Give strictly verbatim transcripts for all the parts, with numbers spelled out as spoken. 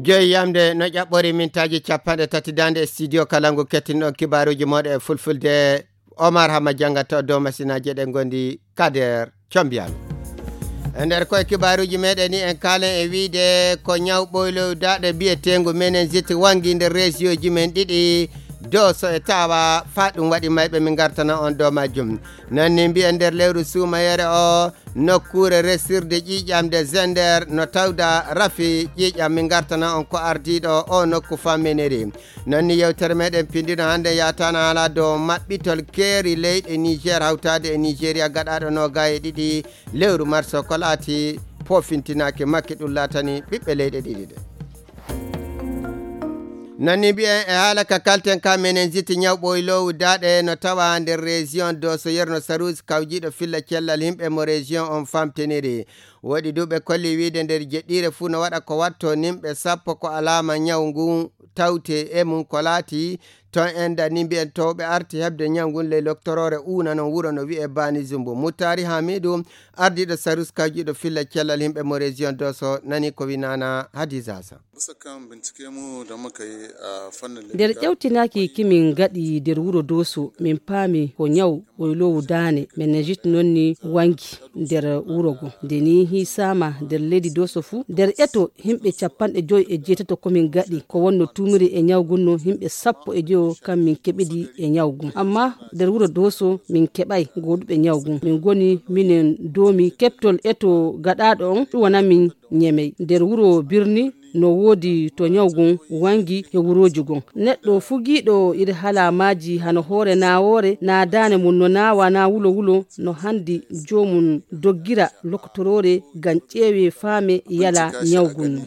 Joyi yamde no ƴaɓɓori mintaaji capanɗe tati daande e studio kala ngu kettinɗon kibaaruuji mooɗon e fulfulde. Omar Hama janngato dow masinaaji ɗe ngondi Kader Combiyano. E nder koye kibaaruuji meɗen ni en kaalen e wiide ko ñaw ɓoylow daaɗe biyeteengu meningite wangi nder reesiyooji men ɗiɗi, Doso e Tawa, faa ɗum waɗi mayɓe min ngartana on dow majjum. Noon ni mbiyen nder lewru suumayere o, nokkuure resirde ƴiiƴam nde Zender no tawda rafi ƴiiƴam, min ngartana on ko ardiiɗo o nokku famminiri. Noon ni yewtere meɗen pindino hannde yataana haala dow maɓɓitol keeri leyɗe Niger hawtaade e Nigeria gaɗaaɗo noogaye e ɗiɗi lewru marso ko laati pofintinaaki makke ɗum laatani ɓiɓɓe leyɗe ɗiɗi ɗe. Noon ni mbiyen e haala ka kalten ka meningite ñaw ɓoyloowu daaɗe no tawa nder région Doso yerno Sarusi kawjiiɗo filla cellal yimɓe mo région on famtiniri. Woɗi duuɓe kolli wiide nder jeɗɗiire fuu no waɗa ko watto nimɓe sappo ko alaama ñaw ngun tawte e mum ko laati. Toon en dani mbiyen towɓe arti heɓde ñaw ngun ley loktoroore uuna non wuro no wi'e Bani Zumbu. Muttari Hamidu ardiiɗo Sarus kawjiiɗo filla cellal yimɓe mo région Doso nani ko winana Hadiza Sa. Bisa kan bincike mu da muka yi a fannin nder ƴewtinaaki kimin ngaɗi nder wuro Doso, min paami ko ñaw ɓoyloowu daane meningite noon ni wangi nder wuro go. Nde ni hiisaama nder leydi Doso fuu, nder eto yimɓe capanɗe joy e jeetato ko min ngaɗi ko wonno tuumiri e ñaw gun no yimɓe sappo e joyo kam min keɓidi e ñaw gun. Amma nder wuro Doso min keɓay gooduɓe ñaw gun. Min ngoni minen doomi keɓtol eto gaɗaaɗo on ɗum wona min ñemey. Nder wuro birni no woodi to ñaw gun wangi he wurooji gun. Neɗɗo fugiiɗo iri halaamaaji hano hoore naawoore, naa daane mum no naawa, naa wulo wulo, no handi joomum doggira lokotoroore ngam ƴeewee faame yala ñaw gun no.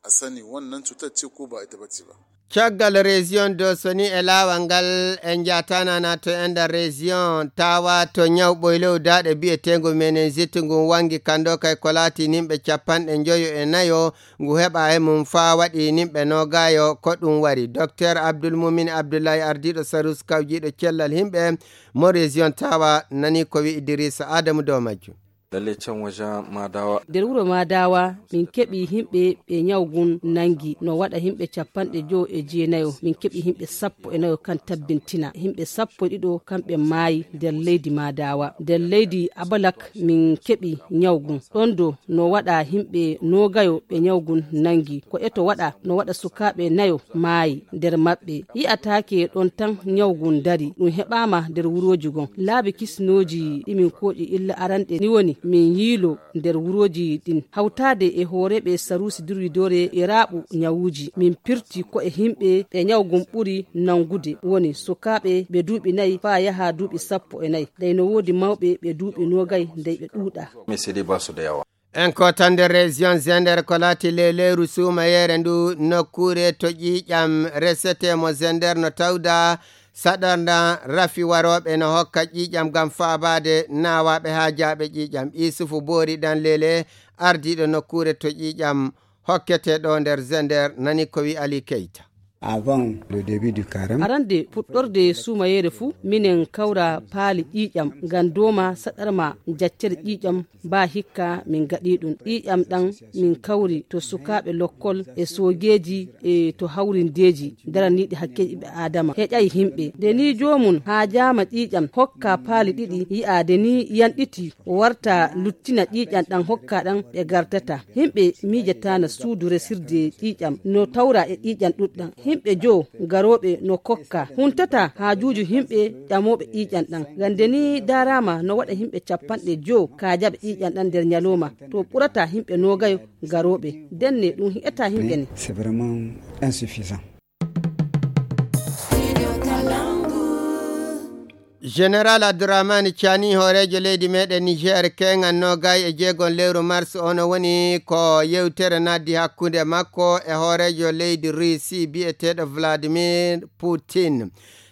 A sani wannan cutar ce ko ba ita bace ba. Caggal région Doso ni e laawal ngal en njaataana na to enda région Tawa to ñaw ɓoylow daaɗe biyeteengo meningite ngun wangi kando kay ko laati nimɓe capanɗe njoyo e nayo ngu heɓa e mum faa waɗi nimɓe noogayo ko ɗum wari. Docteur Abdoul Moumin Abdoulaye ardiiɗo Sarus kawjiiɗo cellal yimɓe mo région Tawa nani ko wi Idrissa Adamu dow majjum. Lalle can wajen Madawa. Nder wuro Madawa, min keɓi yimɓe ɓe ñaw gun nangi, no waɗa yimɓe capanɗe jowo e jeenayo. Min keɓi yimɓe sappo e nayo kan tabbintina. Yimɓe sappo e ɗiɗo kamɓe maayi nder leydi Madawa. Nder leydi Abalak, min keɓi ñaw gun. Ɗon do no waɗa yimɓe noogayo ɓe ñaw gun nangi. Ko eto waɗa, no waɗa sukaaɓe nayo maayi nder maɓɓe. Yi'ataake ɗon tan ñaw gun dari, ɗum heɓaama nder wurooji gon. Laabi kisinooji ɗi min kooƴi illa aranɗe ni woni min yiilo nder wurooji ɗin, hawtaade e hooreeɓe saruusi durwidoore e raaɓu ñawuuji. Min pirti ko e yimɓe ɓe ñaw gun ɓuri nangude, woni sukaaɓe ɓe duuɓi nayi faa yaha duuɓi sappo e nayi. Dey no woodi mawɓe ɓe duuɓi noogay dey ɓe ɗuuɗa. Mais c'est des bases de yawa. En ko tan nder région Zender ko laati lewlewru suumayeere ndu nokkuure to ƴiiƴam resete mo Zender no tawda saɗarnda rafi warooɓe no hokka ƴiiƴam ngam faabaade naawaaɓe haajaaɓe ƴiiƴam. Isufu Boori ɗan lele ardiiɗo nokkuure to ƴiiƴam hokkete ɗo nder Zender nani ko wi Ali Keita. Avant le début du carême. Arande puɗɗorde suumayeere fuu, minen kawra paali ƴiiƴam, ngam dooma saɗarma jaccere ƴiiƴam, baa hikka min gaɗi ɗum. Ƴiiƴam ɗam min kawri to sukaaɓe lokkol e soogeeji e to hawrindeeji daraniiɗi hakkeeji ɓe Aadama. Heƴay himɓe. Nde ni joomum haajaama ƴiiƴam, hokka paali ɗiɗi, yi'aade ni yanɗiti, warta luttina ƴiiƴam ɗam hokka ɗam ɓe gartata. Himɓe miijataana suudu resirde ƴiiƴam, no tawra e ƴiiƴam ɗuɗɗam. Himɓe joo garooɓe no kokka. Huntata haajuuji himɓe ƴamooɓe ƴiiƴam ɗam. Gande ni daaraama no waɗa himɓe capanɗe joo kaajaɓe ƴiiƴam ɗam nder ñalooma. To ɓurata himɓe noogayo garooɓe. Denne ɗum hi'ata himɓe ne. C'est vraiment insuffisant. Général Abdourahmane Tiani, hooreejo leydi meɗen Niger, keeŋan noogay e jeegon lewru mars, ono woni ko yewtere naddi hakkunde makko e hooreejo leydi Russie biyeteeɗo Vladimir Poutine.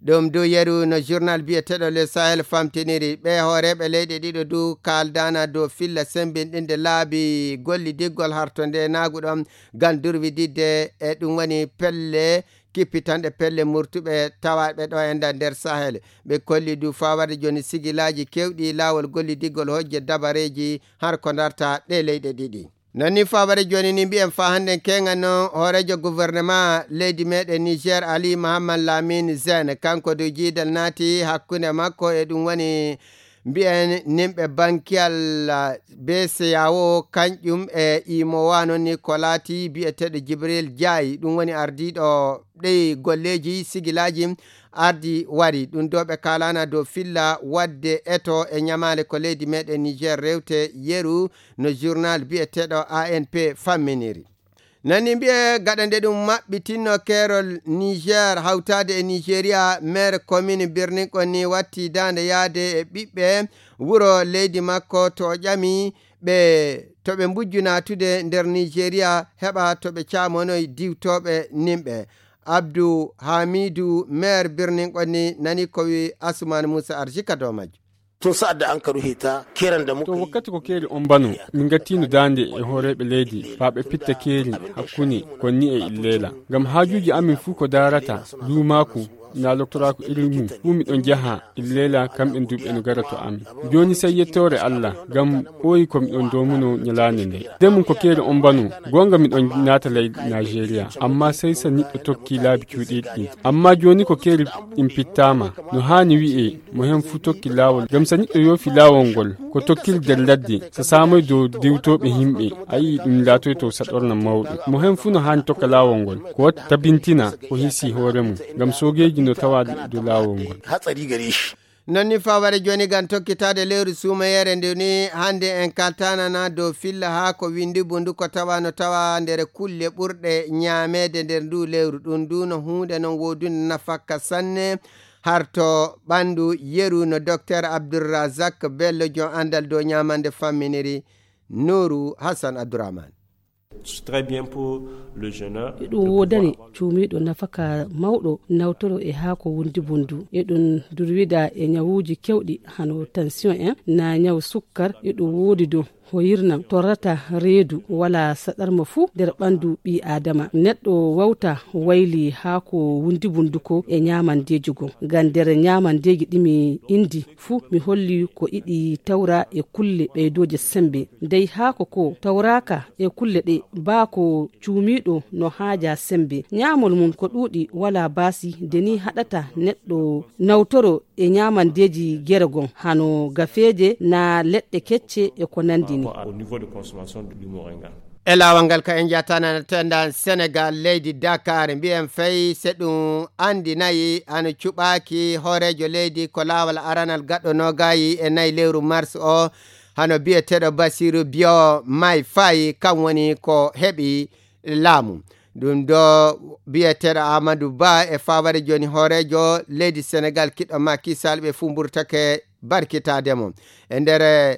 Ɗum du yeru no journal biyeteeɗo Le Sahel famtiniri. Ɓe hooreeɓe leyɗe ɗiɗo du kaaldana dow filla sembinɗinde laabi gollidiggol harto nde naaguɗo ngam durwididde e ɗum woni pelle kippitanɗe pelle murtuɓe tawaaɓe ɗo e nder, nder Sahel. Ɓe kolli du faa warde jooni sigilaaji keewɗi laawol gollidigol hojje dabareeji har ko darta ɗe leyɗe ɗiɗi. Non ni fabare jooni ni mbiyen fa hannden keeŋa non hooreejo gouvernement leydi meeɗen Niger Ali Mahaman Lamine Zen, kanko du jiidal naati hakkunde makko e ɗum woni mbiyen nimɓe bankiyal B C A O, kanƴum e imo wano ni ko laati biyeteeɗo Jibril Jaayi, ɗum woni ardiiɗo ɗi golleeji sigilaaji ardi wari. Ɗum ɗo ɓe kaalana dow filla wadde eto e ñamaale ko leydi meeɗen Niger rewte yeru no journal biyeteeɗo A N P famminiri. Nani mbiye gaɗa nde ɗum maɓɓitinno keerol Niger hawtaade e Nigeria, maire commune Birnin Konni watti daande yaade e ɓiɓɓe wuro leydi makko to o ƴami ɓe to ɓe mbujju naatude nder Nigeria heɓa to ɓe caamonoy diwtooɓe nimɓe. Abdou Hamidou, maire Birnin Konni, nani ko wi Asuman Moussa Arjika dow majjo. Tun sa'ad da an ka ruhe ta, keran da muka To yi. Wakkati ko keeri on bano, min ngattiino daande e hooreeɓe leydi, faa ɓe pitta keeri hakkunde Konni e Illeela. Ngam haajuuji amin fuu ko daarata luumaaku, naa loktoraaku irin mum, fuu miɗon jaha Illeela, kamɓen du ɓe no gara to amin. Jooni sey yettoore Allah, ngam ɓooyi ko miɗon doomuno nyalaande nde. Nden mum ko keeri on bano, goonga miɗon naata ley Naajeeriya, ammaa sey sa niɗɗo tokki laabi cuuɗiiɗi ɗin. Ammaa jooni ko keeri ɗin pittaama, no haani wi'ee, mo hen fuu tokki laawol. Ngam sa niɗɗo yoofi laawol ngol, ko tokkiri nder ladde, sa saamoy dow diwtooɓe himɓe, a yi'i ɗum laatoyto saɗorna mawɗo. Mo hen fuu no haani tokka laawol ngol, ko wata tabintina o hisii hoore mum, ngam soogeeji no tawaa dow laawol ngol. Hatsari gare shi. Non ni faware jooni ngam tokkitaade lewru suumayeere ndu ni, hannde en kaltanana dow filla haa ko winndi bundu ko tawa no tawa nder kulle ɓurɗe ñaameede nder ndu lewru. Ɗum ndu no huunde non woodunde nafakka sanne, harto ɓanndu yeru no Docteur Abdourazak Bello, jon anndal dow ñaamande famminiri. Nuuru Hassan Abdourahmane. Très bien pour le jeûneur. Eɗum woodani cuumiiɗo nafaka mawɗo nawtoro e haako wundi bundu. Eɗum durwida e ñawuuji kewɗi hano tension en, na ñaw sukkar. Eɗum woodi dow hoyirnan torrata reedu wala saɗarma fuu nder ɓandu ɓii Aadama. Neɗɗo wawta wayli haako wundi bundu ko e ñaamandeeji goo. Ngam nder ñaamandeeji ɗi mi indi fuu mi holli ko iɗi tawra e kulle ɓeydooje sembe. Dey haako ko tawraaka e kulle ɗe baa ko cuumiiɗo no haaja sembe. Ñaamol mum ko ɗuuɗi wala baasi, de ni haɗata neɗɗo nawtoro e ñaamandeeji gere gon, hano gafeeje na leɗɗe kecce e ko nandi ni. Par rapport au niveau de consommation du moringa. E laawol ngal ka en jatana tenda Senegal, leydi Dakar, mbiyen fay se ɗum andinayi hano cuɓaaki hooreejo leydi ko laawol aranal gaɗɗo noogayi e nayi lewru mars o, hano biyeteeɗo Basiru Biyo May Fay, kam woni ko heɓi laamu. Ɗum ɗo biyeteeɗo Amadou Ba e faware jooni hooreejo leydi Senegal kiɗɗo Macky Sall ɓe fuu mburtake barkitaade mo. E nder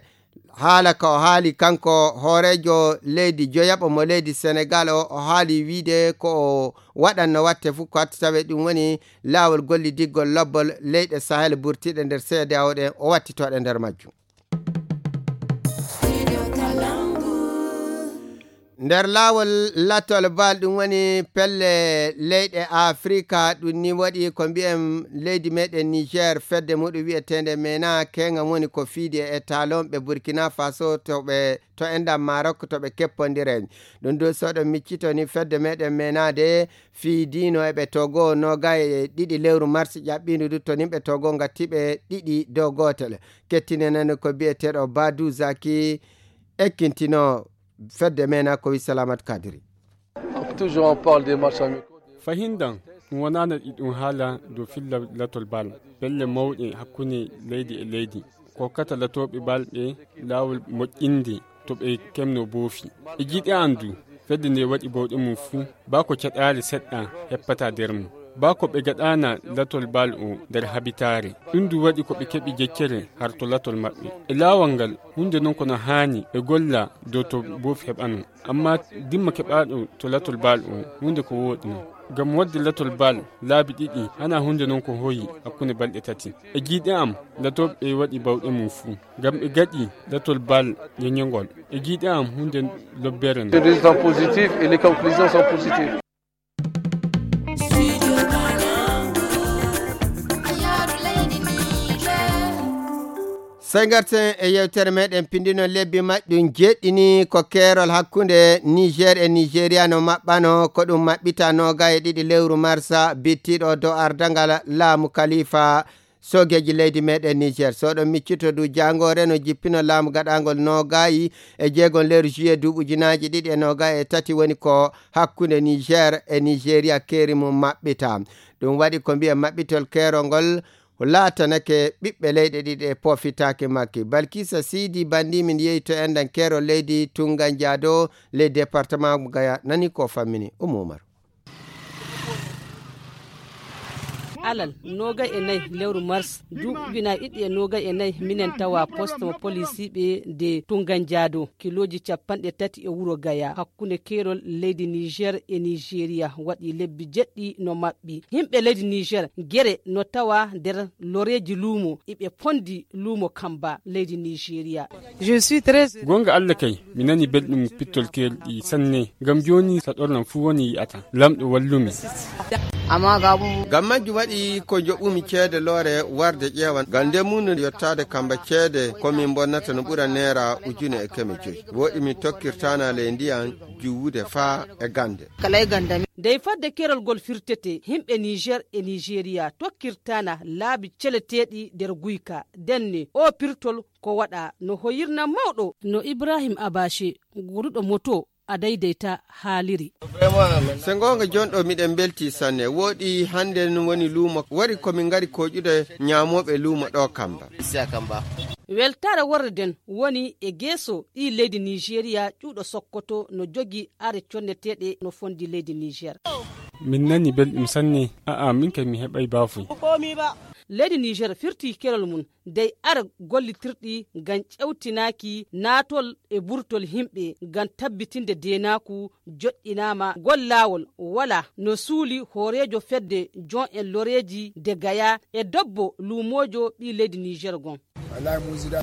haala ka o haali kanko hooreejo leydi joyaɓo mo leydi Senegal o, o haali wiide ko o waɗanno watte fuu ko hatti tawe ɗum woni laawol gollidiggol lobbol leyɗe Sahel burtiiɗe nder C D A O ɗe o wattitooɗe nder majjum. Nder laawol lattol bal ɗum woni pelle leyɗe Afrika ɗum ni waɗi ko mbiyen leydi meɗen Niger fedde muɗum wiyeteende mena keŋa woni ko fiidi e talon ɓe Burkina Faso to ɓe to enɗam Maroc to ɓe keppondire. Ɗum ɗo soɗo miccito ni fedde meɗen menaade fiidiino e ɓe Togo noga e ɗiɗi lewru mars ƴaɓɓiindu du to nimɓe Togo ngatti ɓe ɗiɗi dow gootel. Kettinenani ko biyeteeɗo Badu Zaki ekkintino fedde mena ko wi Salamat Kadiri. Toujours on parle des matchs amicaux. Fahindan ɗum wonaana ɗi ɗum haala dow filla latol bal pelle mawɗe hakkunde leydi e leydi. Kokkata latooɓe bal ɓe laawol moƴƴinde to ɓe kemno boofi. E jiiɗe an du, fedde nde waɗi bawɗe mum fuu, baa ko caɗaali seɗɗa heppata nder mum. Baa ko ɓe gaɗaana latol bal o nder habitaare. Ɗum du waɗi ko ɓe keɓi jeccere har to latol maɓɓe. E laawol ngal, huunde non kono haani ɓe golla dow to boofi heɓano. Amma dimma keɓaaɗo to latol bal o, huunde ko wooɗi non. Ngam waɗde latol bal laabi ɗiɗi, hana huunde non ko hoyi hakkunde balɗe tati. E jiiɗe am, latooɓe ɓe waɗi bawɗe mum fuu. Ngam ɓe gaɗi latol bal ñoñongol. E jiiɗe am, huunde lobbere non. Les résultats positifs et les conclusions sont positives. Sey ngarten e yewtere meɗen pindino lebbi majjum jeɗɗini ko keerol hakkunde Niger e Nigeria no maɓɓano ko ɗum maɓɓita noogaye e ɗiɗi lewru marsa bittiɗo dow ardangal laamu kalifa soogeeji leydi meɗen Niger. So ɗon miccito du jaangoore no jippino laamu gaɗangol noogayi e jeegon lewru juillet duuɓi ujunaaji ɗiɗi e noogaye e tati woni ko hakkunde Niger e Nigeria keeri mum maɓɓita. Ɗum waɗi ko mbiya maɓɓitol keerol ngol laatanake ɓiɓɓe leyɗe ɗiɗi e poofitaake makki. Balkisa Sidi Bandi min yehi to enɗan keerol leydi Tunga Njaado ley département Gaya nani ko fammini Umu Umaru. Alal noogay e nayi lewru mars duuɓi ujunaaji ɗiɗi e noogay e nayi minen tawa poste mo polisiiɓe de Tunga Njaado kilooji capanɗe tati e wuro Gaya hakkunde keerol leydi Niger e Nigeria waɗi lebbi jeɗɗi no maɓɓi. Yimɓe leydi Niger gere no tawa nder loreeji luumo iɓe pondi luumo Kamba leydi Nigeria. Gonga Allah kay mi nani belɗum pittol keerol ɗi sanne ngam jooni saɗornam fuu woni yi'ata. Lamɗo wallumi. Ngam majjum waɗi ko joɓumi ceede loore warde ƴeewan ngam nde mum no yottaade Kamba ceede ko min bonnata no ɓura neera ujune e keme joyi. Woɗi mi tokkirtana ley ndiyam juwude faa e gande. Dey fadde keerol ngol firtete yimɓe Niger e Nigeria tokkirtana laabi celeteeɗi nder guyka denne o pirtol ko waɗa no hoyirna mawɗo no Ibrahim Abache guuruɗo moto a daydayta haaliri. Se ngoonga jonɗo miɗen mbelti sanne woɗi hannde woni luumo wari komin ngari koƴude ñaamooɓe luumo ɗo Kamba. Weltaare worre nden woni e geeso ɗi leydi Nigeria ƴuuɗo Sokoto no jogi are conneteeɗe no fondi leydi Niger. Min nani belɗum sanne. A'a min kay mi heɓay baafuy. Leydi Niger firti kerol mum dey ara gollitirɗi ngam ƴewtinaaki naatol e burtol yimɓe ngam tabbitinde deenaaku joɗɗinaama ngol laawol wala no suuli hooreejo fedde jon en loreeji de gaya e debbo luumoojo ɓii leydi Niger gon.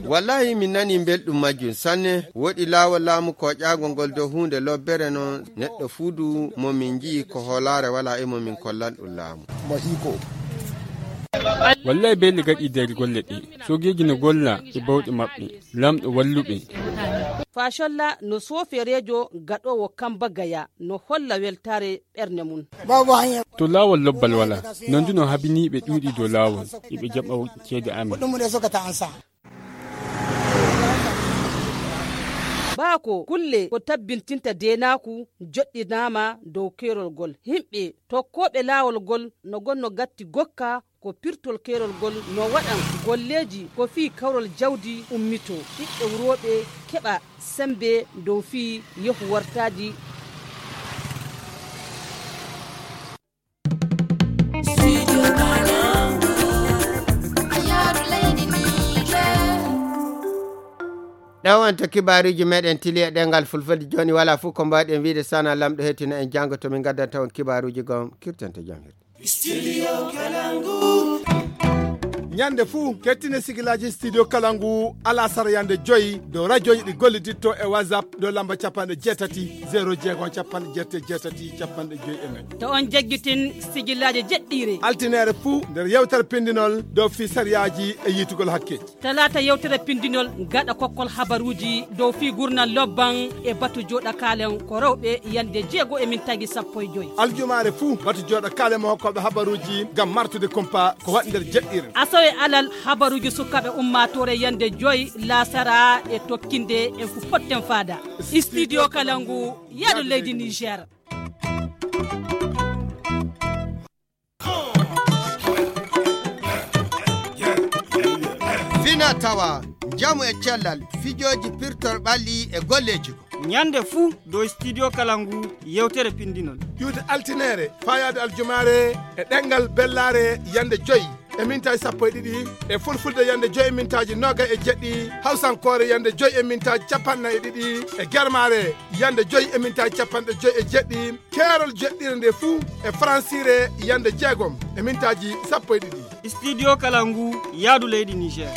Wallahi min nani belɗum majjum sanne. Woɗi laawol laamu koƴaagol ngol dow huunde lobbere non neɗɗo fuu du mo min nji'i ko hoolaare wala e mo min kollan ɗum laamu. Wallahi beeli gaɗi nder golle ɗe soogeeji no golla e bawɗe maɓɓe. Lamɗo walluɓe. Fasholla no soofereejo gaɗoowo Kamba Gaya no holla weltaare ɓernde mum. To laawol lobbal wala nanduno habiniiɓe ɗuuɗi dow laawol iɓe jaɓa ceede amin. Baako kulle ko tabbintinta deenaaku joɗɗinaama dow keerol ngol. Yimɓe tokkooɓe laawol ngol no gonno gatti gokka ko pirtol keerol ngol no waɗan golleeji ko fii kawral jawdi ummito ɓiɓɓe wurooɓe keɓa semmbe dow fii yehu wartaaji. Ɗo wonto kibaaruuji meɗen tili e ɗengal fulfulde jooni wala fof ko mbawɗen wiide sana lamɗo hettino en janngo to min ngaddanta on kibaaruuji gom kirtante jam hirde. Studio Kalangu. Ñande fuu kettine sigilaaji Studio Kalangu alasara yande joyi dow rajooji ɗi golliditto e WhatsApp dow lamba capanɗe jeetati zero jeego capanɗe jeetati jeetati capanɗe joyi e nayi. To on jaggitin sigilaaji jeɗɗiire. Altineere fuu nder yewtere pindinol dow fii sariyaaji e yiitugol hakkeeji. Talaata yewtere pindinol gaɗa kokkol habaruuji dow fii gurnal lobban e batu jooɗa kaalen ko rewɓe yande jeego e mintaaji sappo e joyi. Aljumaare fuu batu jooɗa kaalen mo hokkooɓe habaruuji ngam martude kumpa ko waɗi nder jeɗɗiire. Asawe alal habaruuji sukaaɓe ummaatoore yande joyi laasara e tokkinde en fu potten faada. Studio Kalangu yaadu leydi Niger. Fina tawa njamu e cellal fijooji pirtor ɓalli e golleeji. Ñande fuu dow studio kala ngu yewtere pindinol. Ƴuwde altineere faayaade aljumaare e ɗemngal bellaare yande joyi e mintaaji sappo e ɗiɗi e fulfulde yande joyi e mintaaji noga e jeɗɗi hawsankoore yande joyi e mintaaji capanɗe nayi e ɗiɗi e germaare yande joyi e mintaaji capanɗe joyi e jeɗɗi. Keerol jeɗɗire nde fuu e faransiire yande jeegom e mintaaji sappo e ɗiɗi. Studio kala ngu yaadu leydi Niger.